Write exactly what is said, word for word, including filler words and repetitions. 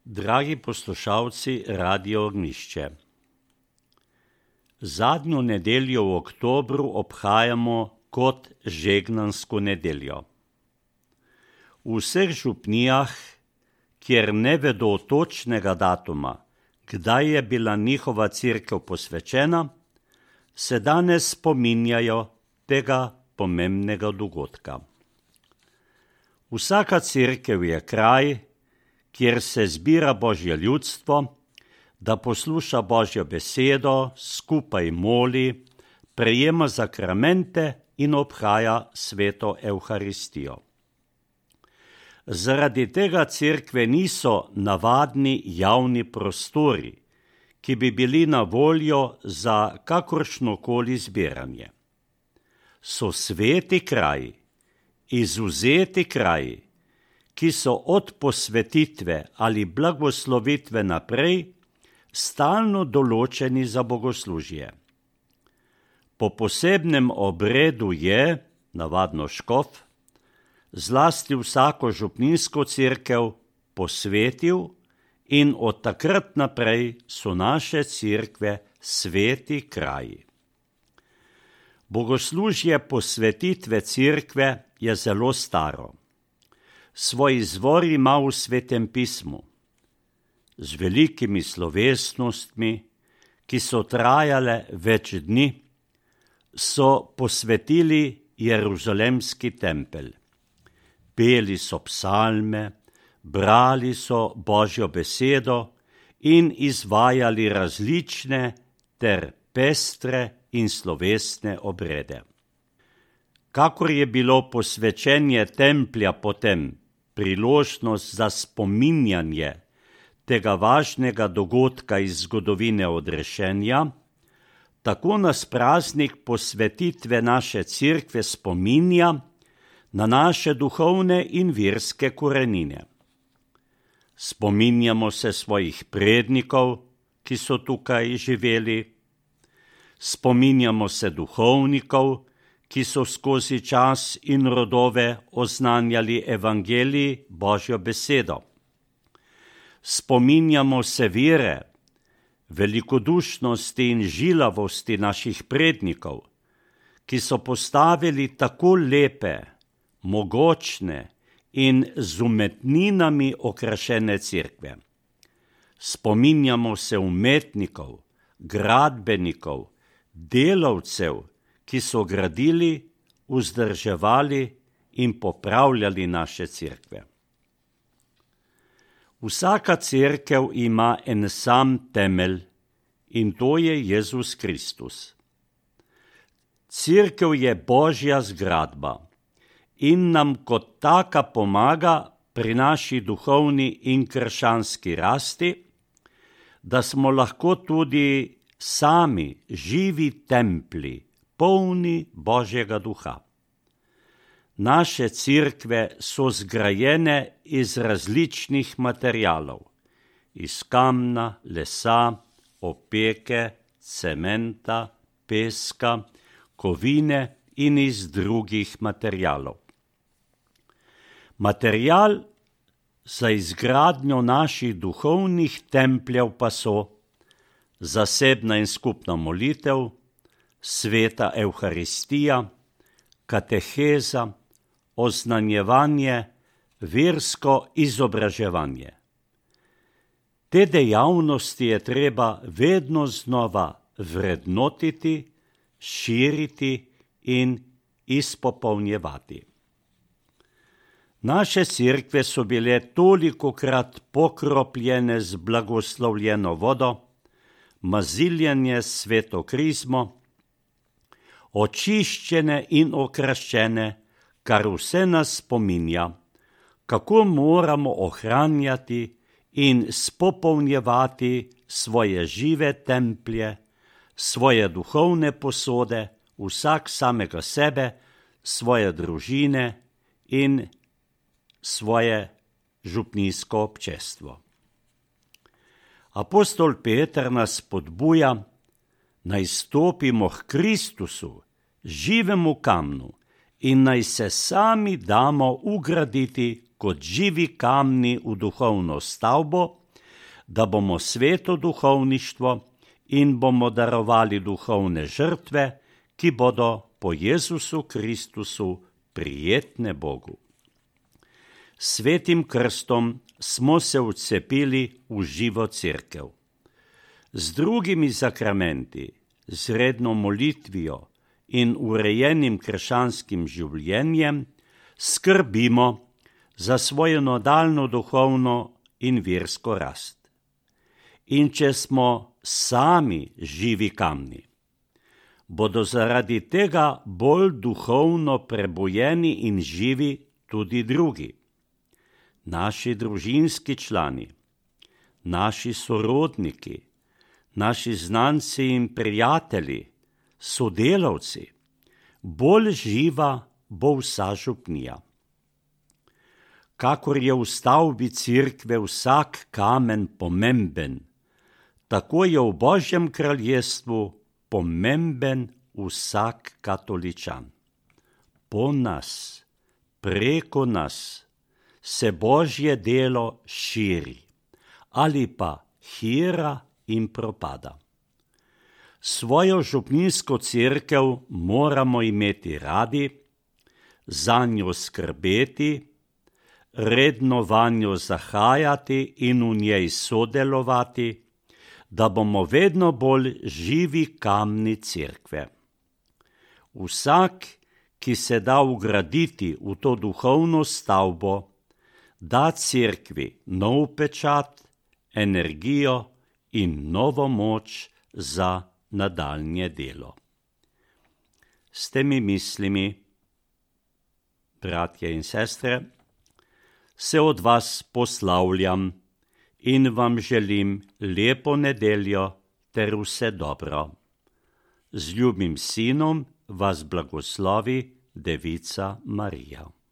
Dragi poslušalci Radio Ognjišče, zadnjo nedeljo v oktobru obhajamo kot žegnansko nedeljo. V vseh župnijah, kjer ne vedo točnega datuma, kdaj je bila njihova cerkev posvečena, se danes spominjajo tega pomembnega dogodka. Vsaka cerkev je kraj, kjer se zbira Božje ljudstvo, da posluša Božjo besedo, skupaj moli, prejema zakramente in obhaja sveto Evharistijo. Zaradi tega cerkve niso navadni javni prostori, ki bi bili na voljo za kakršnokoli zbiranje. So sveti kraji, izvzeti kraji, ki so od posvetitve ali blagoslovitve naprej stalno določeni za bogoslužje. Po posebnem obredu je, navadno škof, zlasti vsako župninsko cerkev posvetil in od takrat naprej so naše cerkve sveti kraji. Bogoslužje posvetitve cerkve je zelo staro. Svoj izvor ima v Svetem pismu, z velikimi slovesnostmi, ki so trajale več dni, so posvetili Jeruzalemski tempelj. Peli so psalme, brali so Božjo besedo in izvajali različne ter pestre in slovesne obrede. Kakor je bilo posvečenje templja potem priložnost za spominjanje tega važnega dogodka iz zgodovine odrešenja, tako nas praznik posvetitve naše cerkve spominja na naše duhovne in verske korenine. Spominjamo se svojih prednikov, ki so tukaj živeli, spominjamo se duhovnikov, ki so skozi čas in rodove oznanjali evangelij Božjo besedo. Spominjamo se vere, velikodušnosti in žilavosti naših prednikov, ki so postavili tako lepe, mogočne in z umetninami okrašene cerkve. Spominjamo se umetnikov, gradbenikov, delavcev, ki so gradili, vzdrževali in popravljali naše cerkve. Vsaka cerkev ima en sam temelj in to je Jezus Kristus. Cerkev je Božja zgradba in nam kot taka pomaga pri naši duhovni in krščanski rasti, da smo lahko tudi sami živi templji, polni Božjega duha. Naše cerkve so zgrajene iz različnih materialov, iz kamna, lesa, opeke, cementa, peska, kovine in iz drugih materialov. Material za izgradnjo naših duhovnih templjev pa so zasebna in skupna molitev, sveta Evharistija, kateheza, oznanjevanje, versko izobraževanje. Te dejavnosti je treba vedno znova vrednotiti, širiti in izpopolnjevati. Naše cerkve so bile tolikokrat pokropljene z blagoslovljeno vodo, maziljene s sveto krizmo, očiščene in okraščene, kar vse nas spominja, kako moramo ohranjati in spopolnjevati svoje žive templje, svoje duhovne posode, vsak samega sebe, svoje družine in svoje župnijsko občestvo. Apostol Peter nas spodbuja, naj stopimo k Kristusu, živemu kamnu, in naj se sami damo ugraditi kot živi kamni v duhovno stavbo, da bomo sveto duhovništvo in bomo darovali duhovne žrtve, ki bodo po Jezusu Kristusu prijetne Bogu. Svetim krstom smo se vcepili v živo cerkev. Z drugimi sakramenti, z redno molitvijo in urejenim krščanskim življenjem skrbimo za svojo nadaljnjo duhovno in versko rast. In če smo sami živi kamni, bodo zaradi tega bolj duhovno prebujeni in živi tudi drugi. Naši družinski člani, naši sorodniki, naši znanci in prijatelji, sodelavci, bolj živa bo vsa župnija. Kakor je v stavbi cerkve vsak kamen pomemben, tako je v Božjem kraljestvu pomemben vsak katoličan. Po nas, preko nas, se Božje delo širi ali pa hira in propada. Svojo župnijsko cerkev moramo imeti radi, zanjo skrbeti, redno vanjo zahajati in v njej sodelovati, da bomo vedno bolj živi kamni cerkve. Vsak, ki se da vgraditi v to duhovno stavbo, da cerkvi nov pečat, energijo in novo moč za nadaljnje delo. S temi mislimi, bratje in sestre, se od vas poslavljam in vam želim lepo nedeljo ter vse dobro. Z ljubim sinom vas blagoslovi Devica Marija.